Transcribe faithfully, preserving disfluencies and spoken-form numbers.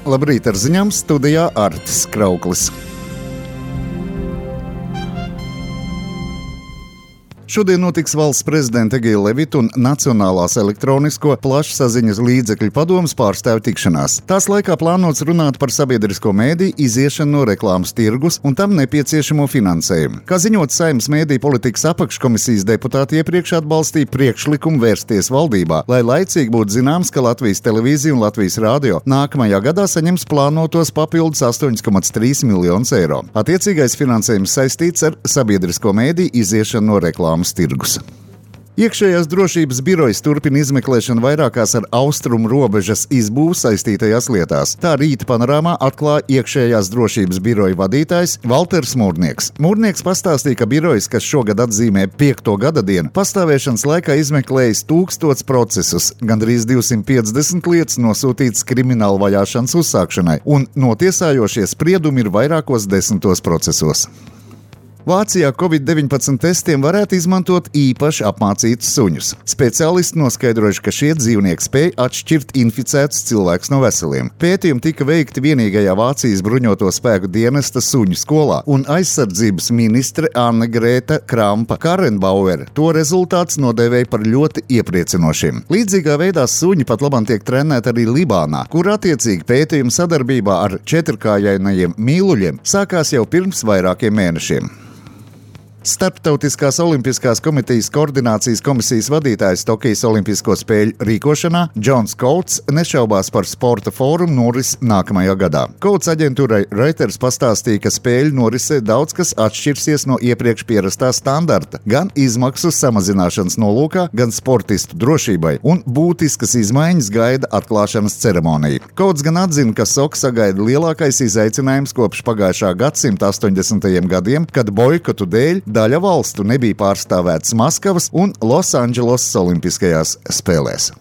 Labrīt ar ziņām, studijā Artis Krauklis. Šodien notiks valsts prezidenta Egila Levita un Nacionālās elektronisko plašsaziņas līdzekļu padomes pārstāvju tikšanās. Tās laikā plānots runāt par sabiedrisko mēdīju iziešanu no reklāmas tirgus un tam nepieciešamo finansējumu. Kā ziņot Saeimas mēdīju politikas apakškomisijas deputāti iepriekš atbalstīja priekšlikumu vērsties valdībā, lai laicīgi būtu zināms, ka Latvijas televīzija un Latvijas radio nākamajā gadā saņems plānotos papildus astoņi komats trīs miljonus eiro. Attiecīgais finansējums saistīts ar sabiedrisko mēdīju iziešanu no reklāmas tirgus. Iekšējās drošības birojas turpina izmeklēšanu vairākās ar austrumu robežas izbūvu saistītajās lietās. Tā rīta panorāmā atklāja iekšējās drošības biroja vadītājs Valters Mūrnieks. Mūrnieks pastāstīja, ka birojas, kas šogad atzīmē piekto gada dienu, pastāvēšanas laikā izmeklējis tūkstots procesus, gandrīz divsimt piecdesmit lietas nosūtītas krimināla vajāšanas uzsākšanai, un notiesājošie spriedumi ir vairākos desmitos procesos. Vācijā covid deviņpadsmit testiem varētu izmantot īpaši apmācītus suņus. Speciālisti noskaidrojuši, ka šie dzīvnieki spēj atšķirt inficētus cilvēkus no veseliem. Pētījumi tika veikti vienīgajā Vācijas bruņoto spēku dienesta suņu skolā, un aizsardzības ministre Anne-Grēta Krampa-Karrenbauere to rezultātus nodēvēja par ļoti iepriecinošiem. Līdzīgā veidā suņi pat labam tiek trenēti arī Libānā, kur attiecīgi pētījumi sadarbībā ar četrkājainajiem mīluļiem sākās jau pirms vairākiem mēnešiem. Starptautiskās olimpiskās komitejas koordinācijas komisijas vadītājs Tokijas olimpisko spēļu rīkošanā Džons Kouts nešaubās par sporta fórumu noris nākamajā gadā. Kouts aģentūrai Reuters pastāstīja, ka spēļu norisē daudz kas atšķirsies no iepriekš pierastā standarta, gan izmaksu samazināšanas nolūkā, gan sportistu drošībai, un būtiskas izmaiņas gaida atklāšanas ceremonija. Kouts gan atzina, ka Soka sagaida lielākais izaicinājums kopš pagājušā gadsimta astoņdesmitajiem gadiem, kad boikotu dēļ daļa valstu nebija pārstāvētas Maskavas un Losandželosas olimpiskajās spēlēs.